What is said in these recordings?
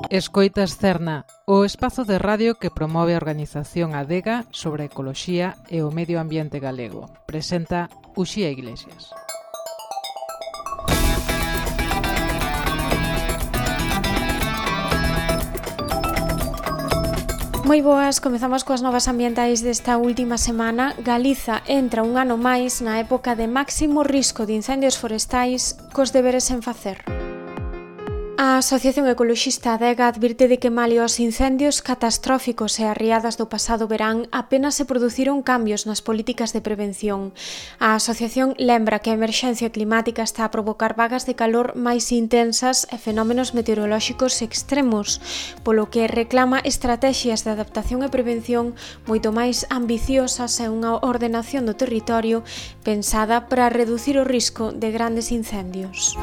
Escoitas Cerna, o espazo de radio que promove a organización Adega sobre a ecoloxía e o medio ambiente galego. Presenta Uxía Iglesias. Moi boas, comezamos coas novas ambientais desta última semana. Galiza entra un ano máis na época de máximo risco de incendios forestais cos deberes sen facer. A Asociación Ecoloxista Adega advirte de que malia os incendios catastróficos e as riadas do pasado verán apenas se produciron cambios nas políticas de prevención. A asociación lembra que a emerxencia climática está a provocar vagas de calor máis intensas e fenómenos meteorolóxicos extremos, polo que reclama estrategias de adaptación e prevención moito máis ambiciosas e unha ordenación do territorio pensada para reducir o risco de grandes incendios.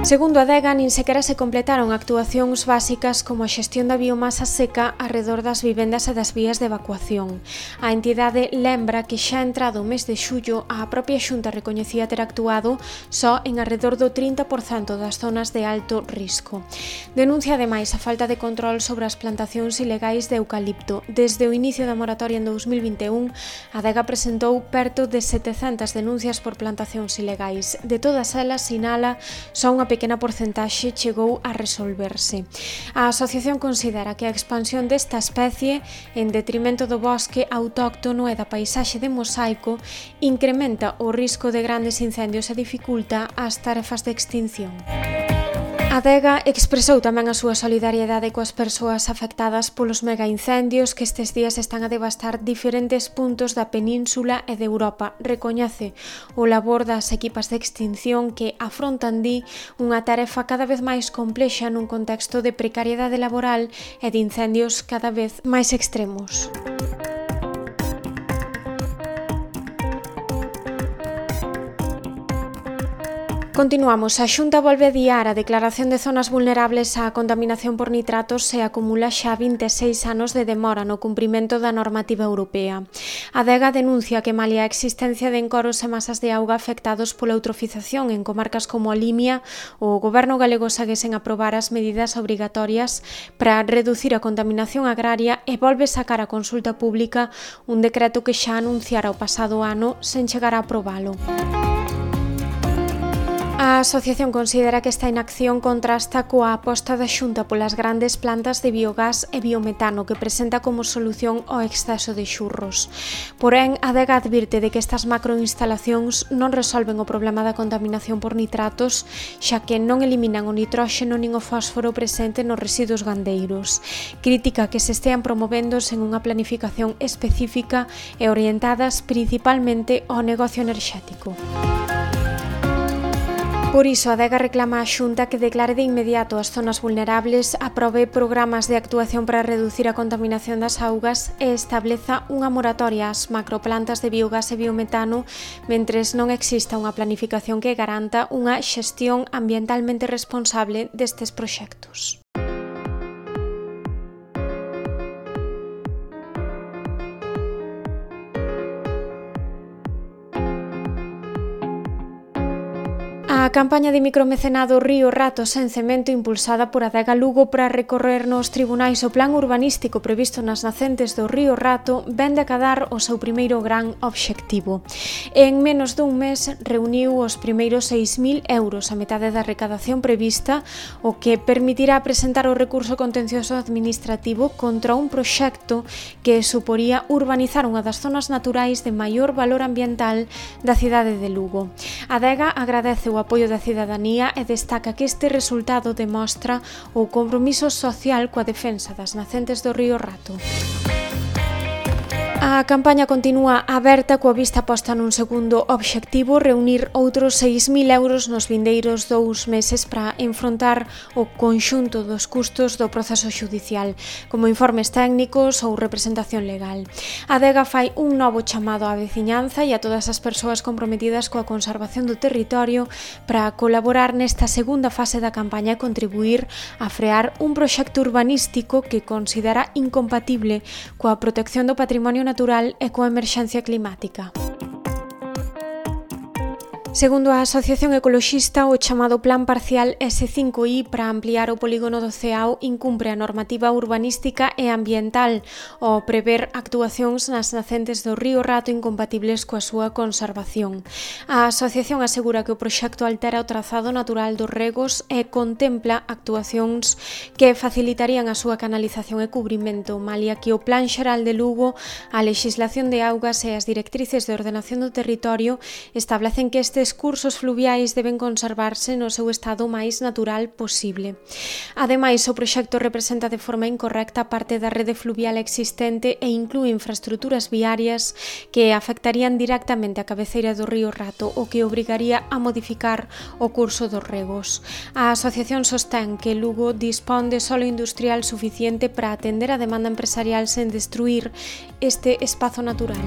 Segundo a Adega, nin sequera se completaron actuacións básicas como a xestión da biomasa seca arredor das vivendas e das vías de evacuación. A entidade lembra que xa entrado o mes de xullo a propia Xunta recoñecía ter actuado só en arredor do 30% das zonas de alto risco. Denuncia ademais a falta de control sobre as plantacións ilegais de eucalipto. Desde o inicio da moratoria en 2021, a Adega presentou perto de 700 denuncias por plantacións ilegais. De todas elas, sinala, só unha pequena porcentaxe chegou a resolverse. A asociación considera que a expansión desta especie, en detrimento do bosque autóctono e da paisaxe de mosaico, incrementa o risco de grandes incendios e dificulta as tarefas de extinción. A Adega expresou tamén a súa solidariedade coas persoas afectadas polos megaincendios que estes días están a devastar diferentes puntos da península e de Europa. Recoñece o labor das equipas de extinción que afrontan, di, unha tarefa cada vez máis complexa nun contexto de precariedade laboral e de incendios cada vez máis extremos. Continuamos. A Xunta volve a adiar a declaración de zonas vulnerables á contaminación por nitratos e acumula xa 26 anos de demora no cumprimento da normativa europea. A Adega denuncia que malia a existencia de encoros e masas de auga afectados pola eutrofización en comarcas como a Limia, o goberno galego segue sen aprobar as medidas obrigatorias para reducir a contaminación agraria e volve sacar a consulta pública un decreto que xa anunciara o pasado ano sen chegar a aprobalo. A asociación considera que esta inacción contrasta coa aposta da Xunta polas grandes plantas de biogás e biometano que presenta como solución ao exceso de xurros. Porén, a Adega advirte de que estas macroinstalacións non resolven o problema da contaminación por nitratos, xa que non eliminan o nitróxeno nin o fósforo presente nos residuos gandeiros. Critica que se estean promovendo sen unha planificación específica e orientadas principalmente ao negocio enerxético. Por iso, a Adega reclama á Xunta que declare de inmediato as zonas vulnerables, aprobe programas de actuación para reducir a contaminación das augas e estableza unha moratoria ás macroplantas de biogás e biometano mentres non exista unha planificación que garanta unha xestión ambientalmente responsable destes proxectos. A campaña de micromecenado Río Rato sen cemento impulsada por Adega Lugo para recorrer nos tribunais o plan urbanístico previsto nas nacentes do Río Rato ven de acadar o seu primeiro gran obxectivo. En menos dun mes reuniu os primeiros 6.000 euros, a metade da recadación prevista, o que permitirá presentar o recurso contencioso administrativo contra un proxecto que suporía urbanizar unha das zonas naturais de maior valor ambiental da cidade de Lugo. Adega agradece o apoio da cidadanía e destaca que este resultado demostra o compromiso social coa defensa das nacentes do Río Rato. A campaña continúa aberta coa vista posta nun segundo obxectivo, reunir outros 6.000 euros nos vindeiros 2 meses para enfrontar o conxunto dos custos do proceso xudicial, como informes técnicos ou representación legal. A Adega fai un novo chamado á veciñanza e a todas as persoas comprometidas coa conservación do territorio para colaborar nesta segunda fase da campaña e contribuir a frear un proxecto urbanístico que considera incompatible coa protección do patrimonio natural e coa emerxencia climática. Segundo a Asociación Ecoloxista, o chamado Plan Parcial S5I para ampliar o polígono do Ceao incumpre a normativa urbanística e ambiental ao prever actuacións nas nacentes do río Rato incompatibles coa súa conservación. A asociación asegura que o proxecto altera o trazado natural dos regos e contempla actuacións que facilitarían a súa canalización e cubrimento, malia que o Plan Xeral de Lugo, a lexislación de augas e as directrices de ordenación do territorio establecen que estes cursos fluviais deben conservarse no seu estado máis natural posible. Ademais, o proxecto representa de forma incorrecta parte da rede fluvial existente e inclúe infraestructuras viarias que afectarían directamente a cabeceira do río Rato, o que obrigaría a modificar o curso dos regos. A asociación sostén que Lugo dispón de solo industrial suficiente para atender a demanda empresarial sen destruir este espazo natural.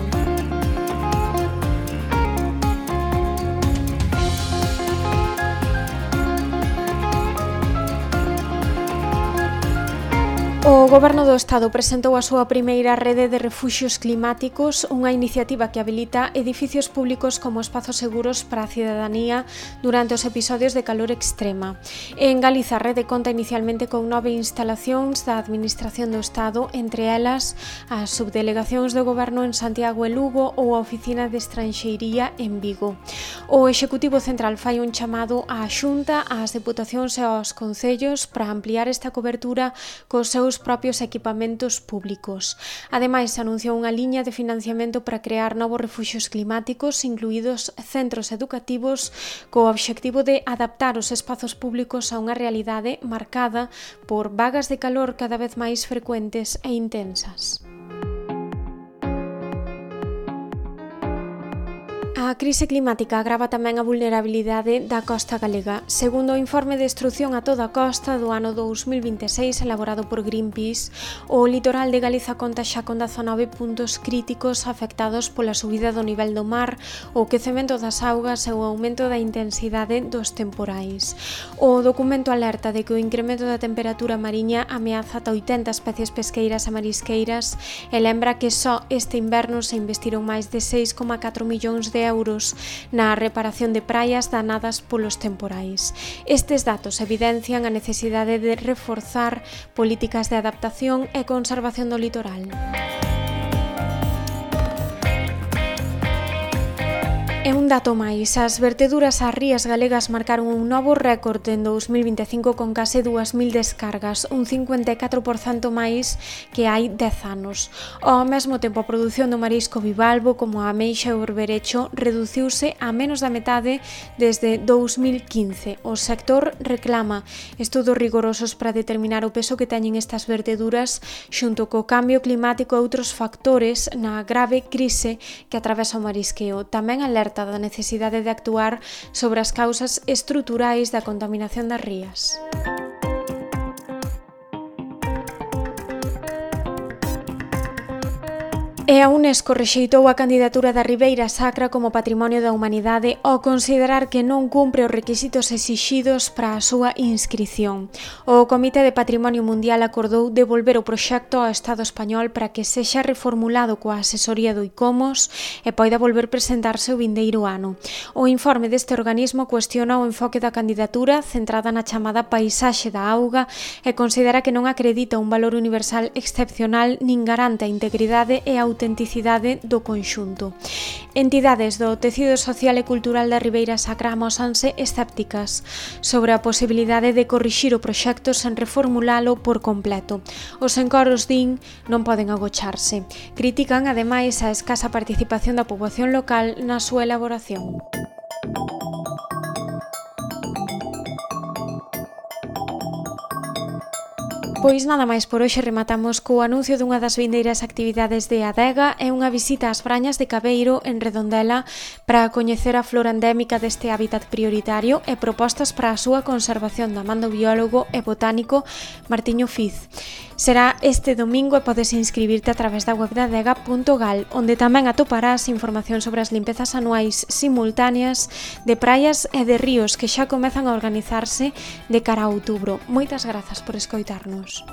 O Goberno do Estado presentou a súa primeira rede de refuxios climáticos, unha iniciativa que habilita edificios públicos como espazos seguros para a cidadanía durante os episodios de calor extrema. En Galiza, a rede conta inicialmente con 9 instalacións da Administración do Estado, entre elas as subdelegacións do Goberno en Santiago e Lugo ou a Oficina de Estranxeiría en Vigo. O Executivo Central fai un chamado á Xunta, ás Deputacións e aos Concellos para ampliar esta cobertura cos seus propios equipamentos públicos. Ademais, anunciou unha liña de financiamento para crear novos refuxios climáticos, incluídos centros educativos, co obxectivo de adaptar os espazos públicos a unha realidade marcada por vagas de calor cada vez máis frecuentes e intensas. A crise climática agrava tamén a vulnerabilidade da costa galega. Segundo o informe de Destrución a toda a costa do ano 2026 elaborado por Greenpeace, o litoral de Galiza conta xa con 19 puntos críticos afectados pola subida do nivel do mar, o quecemento das augas e o aumento da intensidade dos temporais. O documento alerta de que o incremento da temperatura mariña ameaza ata 80 especies pesqueiras e marisqueiras e lembra que só este inverno se investiron máis de 6,4 millóns de euros na reparación de praias danadas polos temporais. Estes datos evidencian a necesidade de reforzar políticas de adaptación e conservación do litoral. E un dato máis, as verteduras ás rías galegas marcaron un novo récord en 2025 con case 2.000 descargas, un 54% máis que hai 10 anos. Ao mesmo tempo, a produción do marisco bivalvo, como a ameixa e o berberecho, reduciuse a menos da metade desde 2015. O sector reclama estudos rigorosos para determinar o peso que teñen estas verteduras xunto co cambio climático e outros factores na grave crise que atravesa o marisqueo. Tamén alerta da necesidade de actuar sobre as causas estruturais da contaminación das rías. E a UNESCO rexeitou a candidatura da Ribeira Sacra como Patrimonio da Humanidade ao considerar que non cumpre os requisitos exixidos para a súa inscrición. O Comité de Patrimonio Mundial acordou devolver o proxecto ao Estado español para que sexa reformulado coa asesoría do ICOMOS e poida volver presentarse o vindeiro ano. O informe deste organismo cuestiona o enfoque da candidatura centrada na chamada paisaxe da auga e considera que non acredita un valor universal excepcional nin garante a integridade e a autenticidade do conxunto. Entidades do tecido social e cultural da Ribeira Sacra amósanse escépticas sobre a posibilidade de corrixir o proxecto sen reformulalo por completo. Os encoros din non poden agocharse. Critican, ademais, a escasa participación da poboación local na súa elaboración. Pois nada máis por hoxe, rematamos co anuncio dunha das vindeiras actividades de Adega e unha visita ás Brañas de Cabeiro en Redondela para coñecer a flora endémica deste hábitat prioritario e propostas para a súa conservación da man do biólogo e botánico Martiño Fiz. Será este domingo e podes inscribirte a través da web de adega.gal, onde tamén atoparás información sobre as limpezas anuais simultáneas de praias e de ríos que xa comezan a organizarse de cara a outubro. Moitas grazas por escoitarnos.